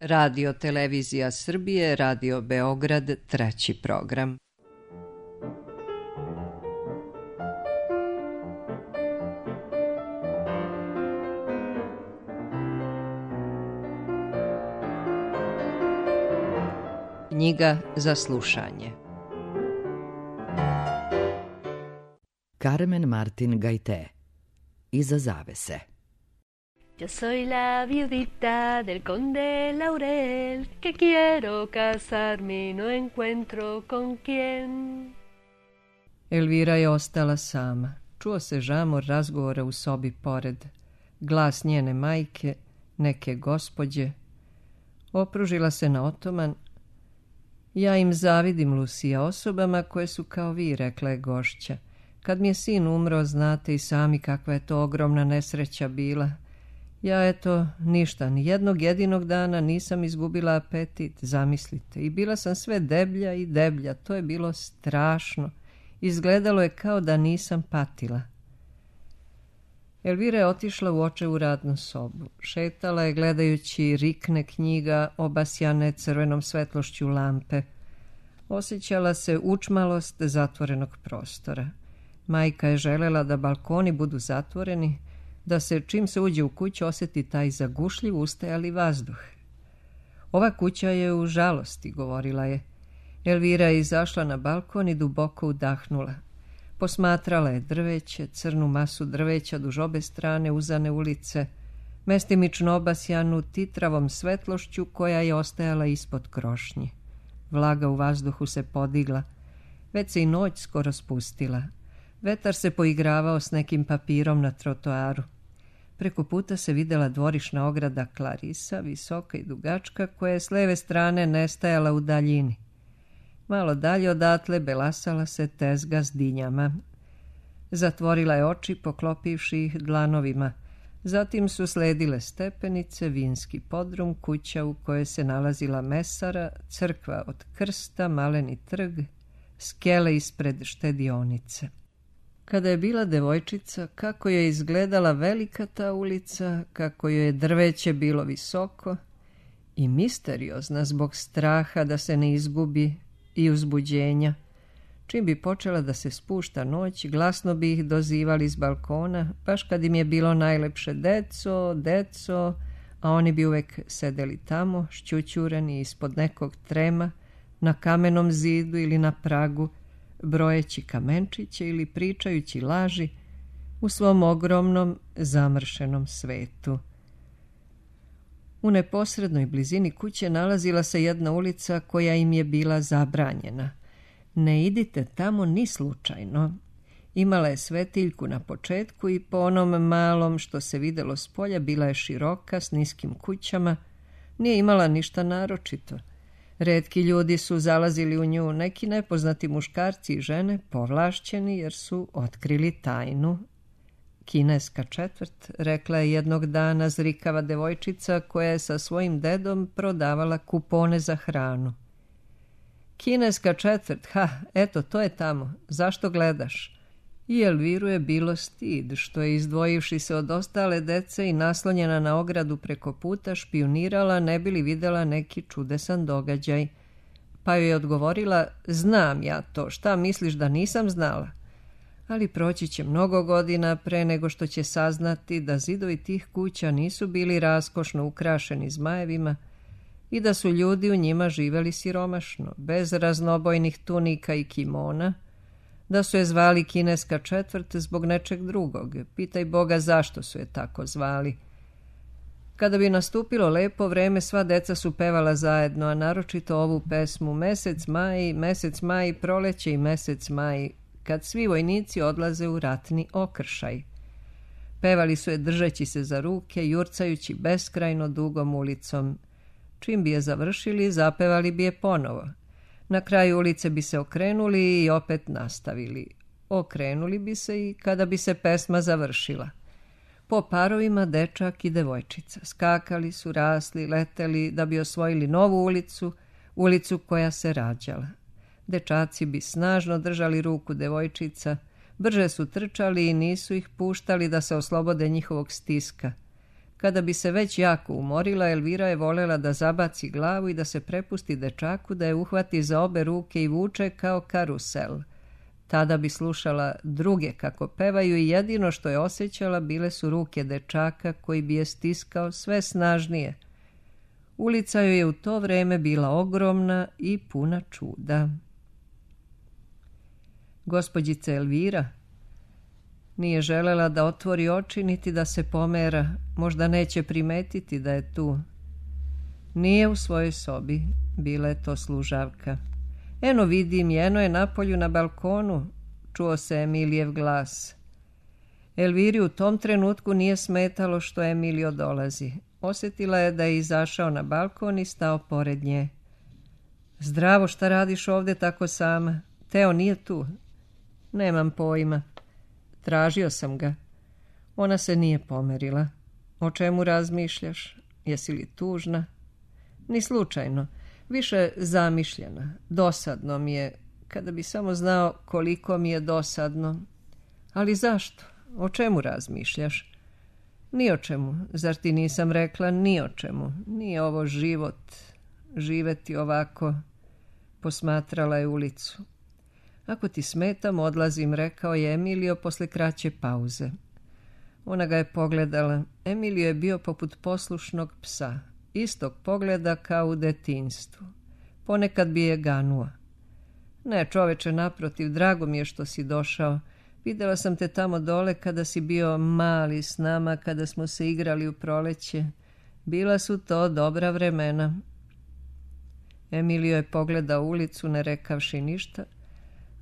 Radio Televizija Srbije, Radio Beograd, treći program. Knjiga za slušanje. Carmen Martin Gaité. Iza zavese. Yo soy la viudita del conde Laurel, que quiero casarme y no encuentro con quién. Elvira je ostala sama. Čuo se žamor razgovora u sobi pored. Glas njene majke, neke gospođe. Opružila se na otoman. Ja im zavidim, Lucija, osobama koje su kao vi, rekla je gošća. Kad mi je sin umro, znate i sami kakva je to ogromna nesreća bila. Ja, eto, ništa, ni jednog jedinog dana nisam izgubila apetit, zamislite. I bila sam sve deblja i deblja, to je bilo strašno. Izgledalo je kao da nisam patila. Elvira je otišla u očevu radnu sobu. Šetala je gledajući rikne knjiga obasjane crvenom svetlošću lampe. Osjećala se učmalost zatvorenog prostora. Majka je želela da balkoni budu zatvoreni, da se čim se uđe u kuću osjeti taj zagušljiv ustajali vazduh. Ova kuća je u žalosti, govorila je. Elvira je izašla na balkon i duboko udahnula. Posmatrala je drveće, crnu masu drveća duž obe strane uzane ulice, mestimično obasjanu titravom svetlošću koja je ostajala ispod krošnje. Vlaga u vazduhu se podigla, već se i noć skoro spustila. Vetar se poigravao s nekim papirom na trotoaru. Preko puta se videla dvorišna ograda Clarisa, visoka i dugačka, koja je s leve strane nestajala u daljini. Malo dalje odatle belasala se tezga s dinjama. Zatvorila je oči, poklopivši ih dlanovima. Zatim su sledile stepenice, vinski podrum, kuća u kojoj se nalazila mesara, crkva od krsta, maleni trg, skele ispred štedionice. Kada je bila devojčica, kako je izgledala velika ta ulica, kako joj je drveće bilo visoko i misteriozna zbog straha da se ne izgubi i uzbuđenja. Čim bi počela da se spušta noć, glasno bi ih dozivali s balkona, baš kad im je bilo najlepše: deco, deco, a oni bi uvek sedeli tamo, šćućureni ispod nekog trema, na kamenom zidu ili na pragu, brojeći kamenčiće ili pričajući laži u svom ogromnom zamršenom svetu. U neposrednoj blizini kuće nalazila se jedna ulica koja im je bila zabranjena. Ne idite tamo ni slučajno. Imala je svetiljku na početku i po onom malom što se videlo s polja bila je široka s niskim kućama. Nije imala ništa naročito. Retki ljudi su zalazili u nju, neki nepoznati muškarci i žene, povlašćeni jer su otkrili tajnu. Kineska četvrt, rekla je jednog dana zrikava devojčica koja je sa svojim dedom prodavala kupone za hranu. Kineska četvrt, eto, to je tamo, zašto gledaš? I Elviru je bilo stid, što je, izdvojivši se od ostale dece i naslonjena na ogradu preko puta, špionirala, ne bi li videla neki čudesan događaj. Pa joj je odgovorila: znam ja to, šta misliš da nisam znala? Ali proći će mnogo godina pre nego što će saznati da zidovi tih kuća nisu bili raskošno ukrašeni zmajevima i da su ljudi u njima živeli siromašno, bez raznobojnih tunika i kimona, da su je zvali kineska četvrt zbog nečeg drugog. Pitaj Boga zašto su je tako zvali. Kada bi nastupilo lepo vreme, sva deca su pevala zajedno, a naročito ovu pesmu: mesec maj, proleće i mesec maj, kad svi vojnici odlaze u ratni okršaj. Pevali su je držeći se za ruke, jurcajući beskrajno dugom ulicom. Čim bi je završili, zapevali bi je ponovo. Na kraju ulice bi se okrenuli i opet nastavili. Okrenuli bi se i kada bi se pesma završila. Po parovima dečak i devojčica. Skakali su, rasli, leteli da bi osvojili novu ulicu, ulicu koja se rađala. Dečaci bi snažno držali ruku devojčica, brže su trčali i nisu ih puštali da se oslobode njihovog stiska. Kada bi se već jako umorila, Elvira je volela da zabaci glavu i da se prepusti dečaku, da je uhvati za obe ruke i vuče kao karusel. Tada bi slušala druge kako pevaju i jedino što je osjećala bile su ruke dečaka koji bi je stiskao sve snažnije. Ulica joj je u to vreme bila ogromna i puna čuda. Gospođica Elvira nije želela da otvori oči niti da se pomera, možda neće primetiti da je tu. Nije u svojoj sobi, bila je to služavka. Eno vidim, eno je napolju na balkonu, čuo se Emilijev glas. Elviri u tom trenutku nije smetalo što Emilio dolazi. Osjetila je da je izašao na balkon i stao pored nje. Zdravo, šta radiš ovdje tako sama? Teo nije tu. Nemam pojma. Tražio sam ga. Ona se nije pomerila. O čemu razmišljaš? Jesi li tužna? Ni slučajno. Više zamišljena. Dosadno mi je. Kada bi samo znao koliko mi je dosadno. Ali zašto? O čemu razmišljaš? Ni o čemu. Zar ti nisam rekla ni o čemu? Nije ovo život. Živeti ovako. Posmatrala je ulicu. Ako ti smetam, odlazim, rekao je Emilio posle kraće pauze. Ona ga je pogledala. Emilio je bio poput poslušnog psa. Istog pogleda kao u detinjstvu. Ponekad bi je ganuo. Ne, čoveče, naprotiv, drago mi je što si došao. Vidjela sam te tamo dole kada si bio mali s nama, kada smo se igrali u proleće. Bila su to dobra vremena. Emilio je pogledao ulicu, ne rekavši ništa.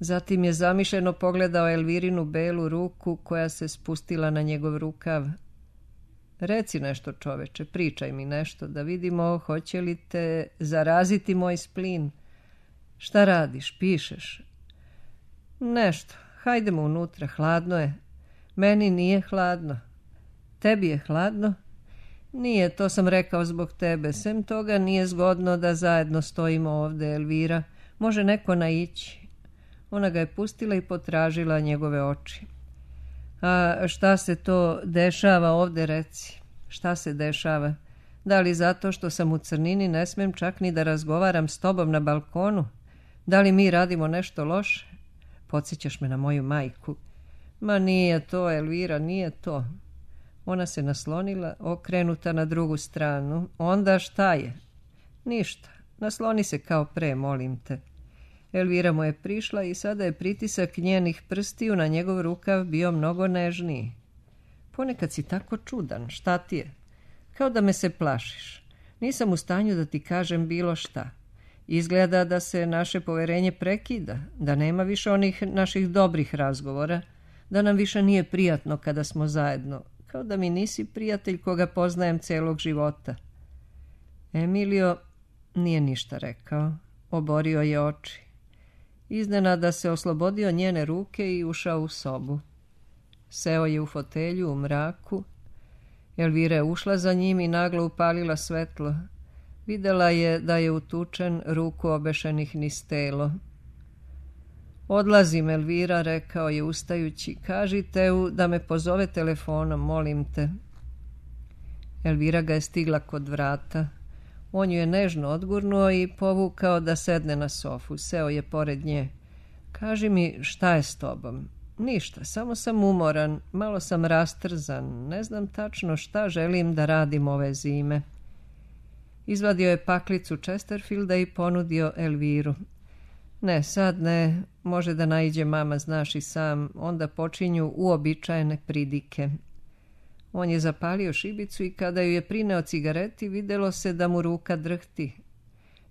Zatim je zamišljeno pogledao Elvirinu belu ruku koja se spustila na njegov rukav. Reci nešto, čoveče, pričaj mi nešto, da vidimo hoće li te zaraziti moj splin. Šta radiš, pišeš? Nešto, hajdemo unutra, hladno je. Meni nije hladno. Tebi je hladno? Nije, to sam rekao zbog tebe. Sem toga nije zgodno da zajedno stojimo ovdje, Elvira. Može neko naići. Ona ga je pustila i potražila njegove oči. A šta se to dešava ovdje, reci? Šta se dešava? Da li zato što sam u crnini ne smem čak ni da razgovaram s tobom na balkonu? Da li mi radimo nešto loše? Podsjećaš me na moju majku. Ma nije to, Elvira, nije to. Ona se naslonila, okrenuta na drugu stranu. Onda šta je? Ništa. Nasloni se kao pre, molim te. Elvira mu je prišla i sada je pritisak njenih prstiju na njegov rukav bio mnogo nežniji. Ponekad si tako čudan, šta ti je? Kao da me se plašiš. Nisam u stanju da ti kažem bilo šta. Izgleda da se naše poverenje prekida, da nema više onih naših dobrih razgovora, da nam više nije prijatno kada smo zajedno, kao da mi nisi prijatelj koga poznajem celog života. Emilio nije ništa rekao, oborio je oči. Iznenada se oslobodio njene ruke i ušao u sobu. Seo je u fotelju u mraku. Elvira je ušla za njim i naglo upalila svetlo. Videla je da je utučen, ruku obešenih niz telo. Odlazim, Elvira, rekao je ustajući. Kaži Teu da me pozove telefonom, molim te. Elvira ga je stigla kod vrata. On ju je nežno odgurnuo i povukao da sedne na sofu. Seo je pored nje. Kaži mi, šta je s tobom? Ništa, samo sam umoran, malo sam rastrzan, ne znam tačno šta želim da radim ove zime. Izvadio je paklicu Chesterfielda i ponudio Elviru. Ne, sad ne, može da naiđe mama, znaš i sam, onda počinju uobičajene pridike. On je zapalio šibicu i kada ju je prineo cigareti, videlo se da mu ruka drhti.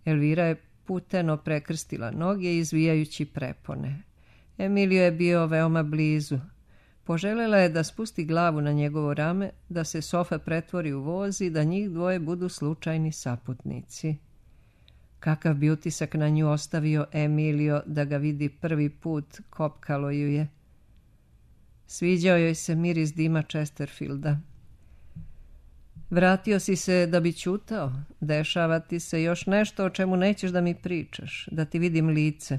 Elvira je puteno prekrstila noge izvijajući prepone. Emilio je bio veoma blizu. Poželjela je da spusti glavu na njegovo rame, da se sofa pretvori u voz i da njih dvoje budu slučajni saputnici. Kakav bi utisak na nju ostavio Emilio da ga vidi prvi put, kopkalo ju je. Sviđao joj se miris dima Chesterfielda. Vratio si se da bi ćutao? Dešava ti se još nešto o čemu nećeš da mi pričaš, da ti vidim lice?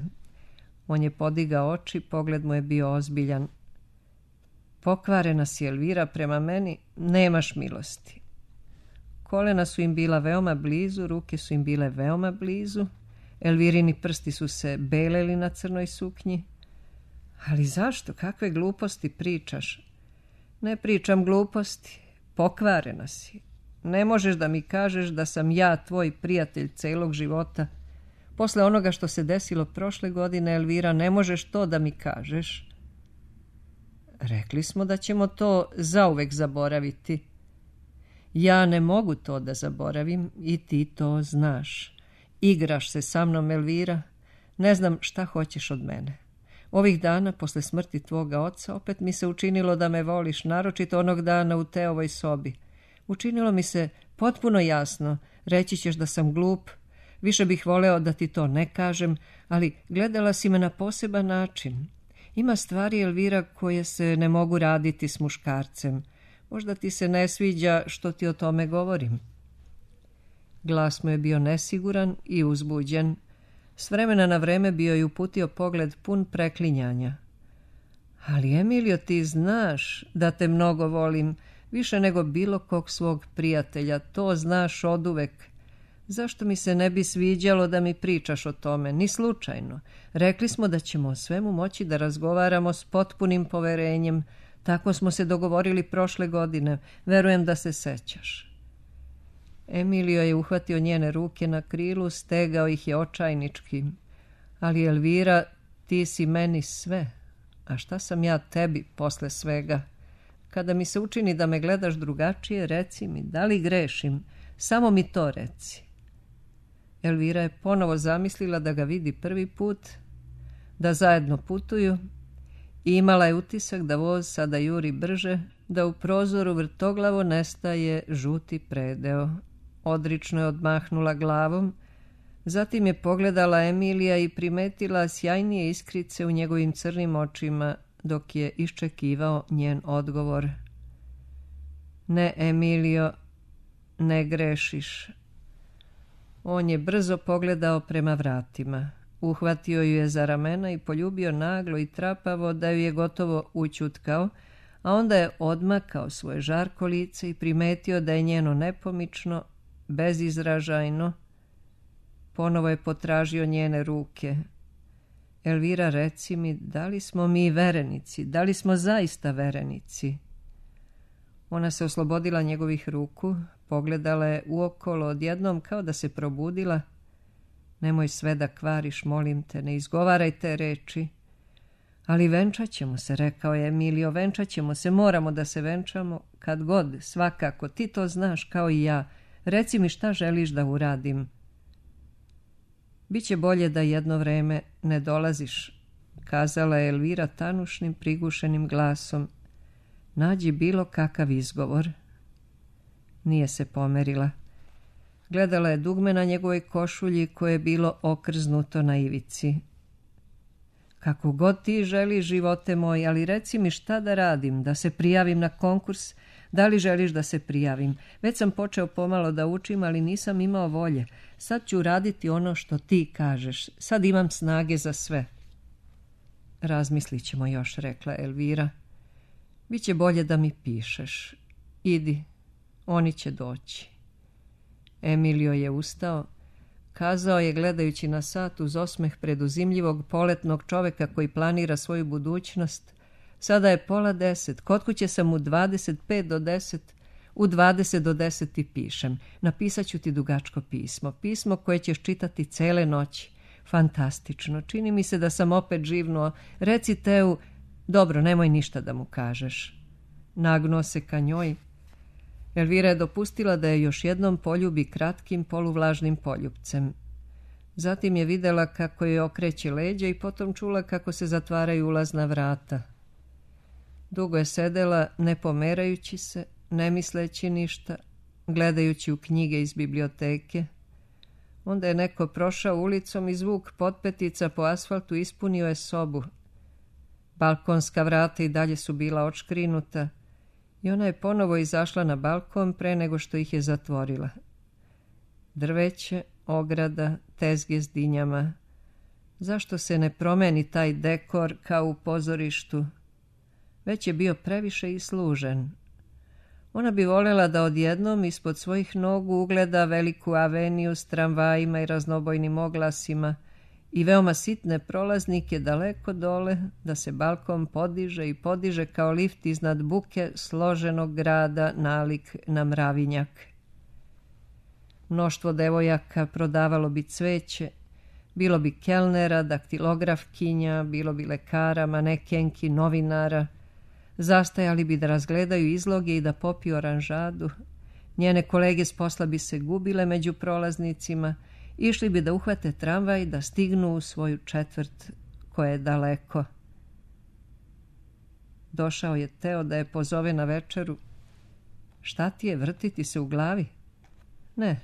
On je podigao oči, pogled mu je bio ozbiljan. Pokvarena si, Elvira, prema meni, nemaš milosti. kolena su im bila veoma blizu, ruke su im bile veoma blizu, Elvirini prsti su se beleli na crnoj suknji. Ali zašto? Kakve gluposti pričaš? Ne pričam gluposti, pokvarena si. Ne možeš da mi kažeš da sam ja tvoj prijatelj celog života. Posle onoga što se desilo prošle godine, Elvira, ne možeš to da mi kažeš. Rekli smo da ćemo to zauvek zaboraviti. Ja ne mogu to da zaboravim i ti to znaš. Igraš se sa mnom, Elvira. Ne znam šta hoćeš od mene. Ovih dana, posle smrti tvoga oca, opet mi se učinilo da me voliš, naročito onog dana u Teovoj sobi. Učinilo mi se potpuno jasno, reći ćeš da sam glup, više bih voleo da ti to ne kažem, ali gledala si me na poseban način. Ima stvari, Elvira, koje se ne mogu raditi s muškarcem. Možda ti se ne sviđa što ti o tome govorim. Glas mu je bio nesiguran i uzbuđen. S vremena na vreme bio je uputio pogled pun preklinjanja. Ali, Emilio, ti znaš da te mnogo volim, više nego bilo kog svog prijatelja. To znaš oduvek. Zašto mi se ne bi sviđalo da mi pričaš o tome? Ni slučajno. Rekli smo da ćemo o svemu moći da razgovaramo s potpunim poverenjem. Tako smo se dogovorili prošle godine. Verujem da se sećaš. Emilio je uhvatio njene ruke na krilu, stegao ih je očajnički. Ali, Elvira, ti si meni sve. A šta sam ja tebi posle svega? Kada mi se učini da me gledaš drugačije, reci mi, da li grešim? Samo mi to reci. Elvira je ponovo zamislila da ga vidi prvi put, da zajedno putuju i imala je utisak da voz sada juri brže, da u prozoru vrtoglavo nestaje žuti predeo. Odrično je odmahnula glavom, zatim je pogledala Emilija i primetila sjajnije iskrice u njegovim crnim očima dok je iščekivao njen odgovor. Ne, Emilio, ne grešiš. On je brzo pogledao prema vratima. Uhvatio ju je za ramena i poljubio naglo i trapavo da ju je gotovo ućutkao, a onda je odmakao svoje žarko lice i primetio da je njeno nepomično, bezizražajno. Ponovo je potražio njene ruke. Elvira, reci mi, da li smo mi verenici? Da li smo zaista verenici? Ona se oslobodila njegovih ruku, pogledala je uokolo odjednom kao da se probudila. Nemoj sve da kvariš, molim te, ne izgovaraj te reči. Ali venčat ćemo se, rekao je Emilio, venčat ćemo se, moramo da se venčamo, kad god, svakako, ti to znaš kao i ja. Reci mi šta želiš da uradim. Biće bolje da jedno vreme ne dolaziš, kazala je Elvira tanušnim, prigušenim glasom. Nađi bilo kakav izgovor. Nije se pomerila. Gledala je dugme na njegovoj košulji koje je bilo okrznuto na ivici. Kako god ti želiš, živote moj, ali reci mi šta da radim, da se prijavim na konkurs. Da li želiš da se prijavim? Već sam počeo pomalo da učim, ali nisam imao volje. Sad ću raditi ono što ti kažeš. Sad imam snage za sve. Razmislit ćemo još, rekla Elvira. Biće bolje da mi pišeš. Idi, oni će doći. Emilio je ustao. Kazao je, gledajući na sat uz osmeh preduzimljivog poletnog čoveka koji planira svoju budućnost. Sada je 9:30, kod kuće sam u 25 do 10, u 20 do 10 ti pišem. Napisat ću ti dugačko pismo, pismo koje ćeš čitati cele noći. Fantastično, čini mi se da sam opet živnuo. Reci Teu, dobro, nemoj ništa da mu kažeš. Nagnuo se ka njoj. Elvira je dopustila da je još jednom poljubi kratkim poluvlažnim poljupcem. Zatim je videla kako je okreće leđa i potom čula kako se zatvaraju ulazna vrata. Dugo je sedela, ne pomerajući se, ne misleći ništa, gledajući u knjige iz biblioteke. Onda je neko prošao ulicom i zvuk potpetica po asfaltu ispunio je sobu. Balkonska vrata i dalje su bila odškrinuta i ona je ponovo izašla na balkon pre nego što ih je zatvorila. Drveće, ograda, tezge s dinjama. Zašto se ne promeni taj dekor kao u pozorištu? Već je bio previše islužen. Ona bi voljela da odjednom ispod svojih nogu ugleda veliku aveniju s tramvajima i raznobojnim oglasima i veoma sitne prolaznike daleko dole, da se balkon podiže i podiže kao lift iznad buke složenog grada nalik na mravinjak. Mnoštvo devojaka prodavalo bi cveće, bilo bi kelnera, daktilografkinja, bilo bi lekara, manekenki, novinara. Zastajali bi da razgledaju izloge i da popiju oranžadu. Njene kolege s posla bi se gubile među prolaznicima, išli bi da uhvate tramvaj, da stignu u svoju četvrt koja je daleko. Došao je Teo da je pozove na večeru. Šta ti je, vrtiti se u glavi? Ne,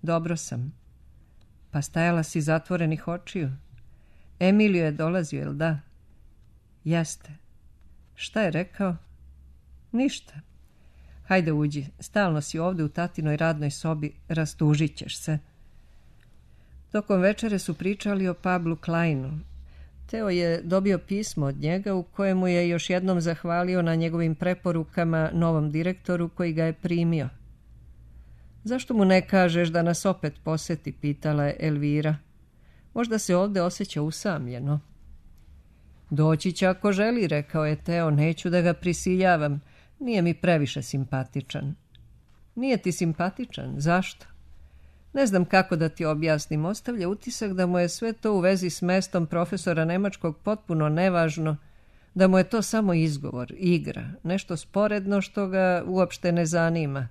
dobro sam. Pa stajala si zatvorenih očiju. Emilio je dolazio, jel da? Jeste. Šta je rekao? Ništa. Hajde uđi, stalno si ovdje u tatinoj radnoj sobi, rastužit ćeš se. Tokom večere su pričali o Pablu Kleinu. Teo je dobio pismo od njega u kojemu je još jednom zahvalio na njegovim preporukama novom direktoru koji ga je primio. Zašto mu ne kažeš da nas opet poseti, pitala je Elvira. Možda se ovdje osjeća usamljeno. Doći će ako želi, rekao je Teo, neću da ga prisiljavam, nije mi previše simpatičan. Nije ti simpatičan, zašto? Ne znam kako da ti objasnim, ostavlja utisak da mu je sve to u vezi s mestom profesora nemačkog potpuno nevažno, da mu je to samo izgovor, igra, nešto sporedno što ga uopšte ne zanima.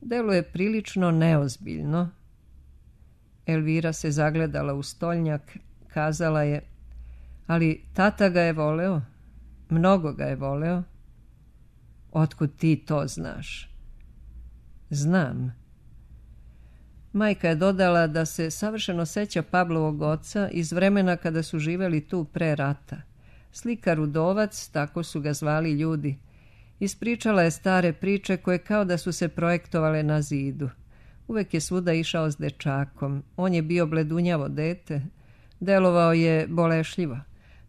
Deluje prilično neozbiljno. Elvira se zagledala u stolnjak, kazala je, ali tata ga je voleo, mnogo ga je voleo. Otkud ti to znaš? Znam. Majka je dodala da se savršeno seća Pablovog oca iz vremena kada su živeli tu pre rata. Slikar udovac, tako su ga zvali ljudi. Ispričala je stare priče koje kao da su se projektovale na zidu. Uvek je svuda išao s dečakom. On je bio bledunjavo dete. Delovao je bolešljivo.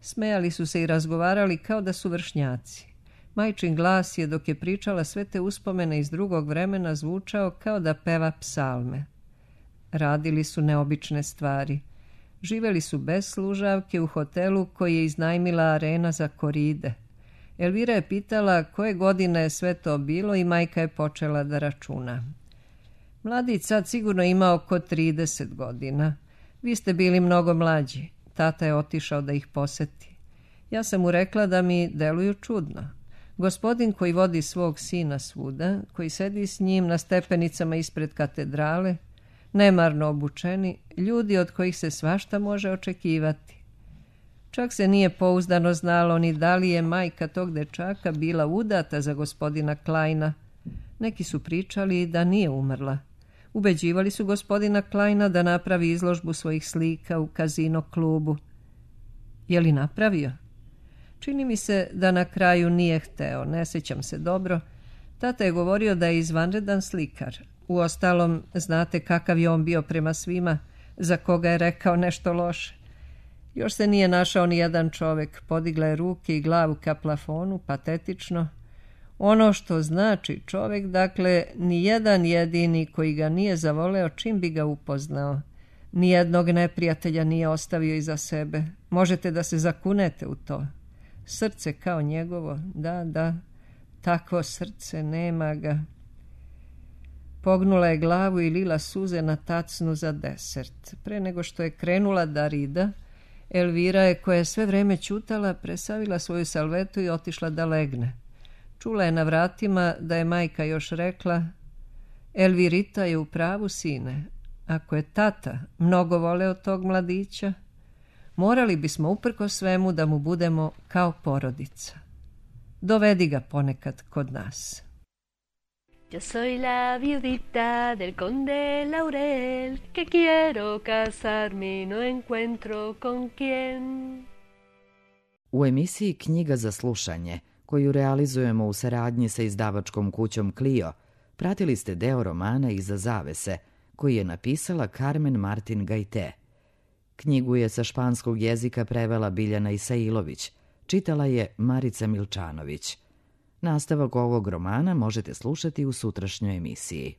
Smejali su se i razgovarali kao da su vršnjaci. Majčin glas je, dok je pričala sve te uspomene iz drugog vremena, zvučao kao da peva psalme. Radili su neobične stvari. Živeli su bez služavke u hotelu koji je iznajmila Arena za koride. Elvira je pitala koje godine je sve to bilo i majka je počela da računa. Mladić sad sigurno ima oko 30 godina. Vi ste bili mnogo mlađi. Tata je otišao da ih poseti. Ja sam mu rekla da mi deluju čudno. Gospodin koji vodi svog sina svuda, koji sedi s njim na stepenicama ispred katedrale, nemarno obučeni, ljudi od kojih se svašta može očekivati. Čak se nije pouzdano znalo ni da li je majka tog dečaka bila udata za gospodina Kleina. Neki su pričali da nije umrla. Ubeđivali su gospodina Kleina da napravi izložbu svojih slika u kazino klubu. Je li napravio? Čini mi se da na kraju nije hteo, ne sjećam se dobro. Tata je govorio da je izvanredan slikar. Uostalom, znate kakav je on bio prema svima, za koga je rekao nešto loše. Još se nije našao ni jedan čovjek, podigla je ruke i glavu ka plafonu, patetično. Ono što znači čovjek, dakle, ni jedan jedini koji ga nije zavoleo čim bi ga upoznao. Nijednog neprijatelja nije ostavio iza sebe. Možete da se zakunete u to. Srce kao njegovo, da, takvo srce, nema ga. Pognula je glavu i lila suze na tacnu za desert. Pre nego što je krenula da rida, Elvira je, koja je sve vreme ćutala, presavila svoju salvetu i otišla da legne. Čula je na vratima da je majka još rekla: Elvirita je u pravu, sine. Ako je tata mnogo voleo tog mladića, morali bismo uprko svemu da mu budemo kao porodica. Dovedi ga ponekad kod nas. Yo soy la viudita del conde Laurel, que quiero casarme y no encuentro con quién. U emisiji Knjiga za slušanje, koju realizujemo u saradnji sa izdavačkom kućom Clio, pratili ste deo romana Iza zavese, koji je napisala Carmen Martin Gajte. Knjigu je sa španskog jezika prevela Biljana Isailović, čitala je Marica Milčanović. Nastavak ovog romana možete slušati u sutrašnjoj emisiji.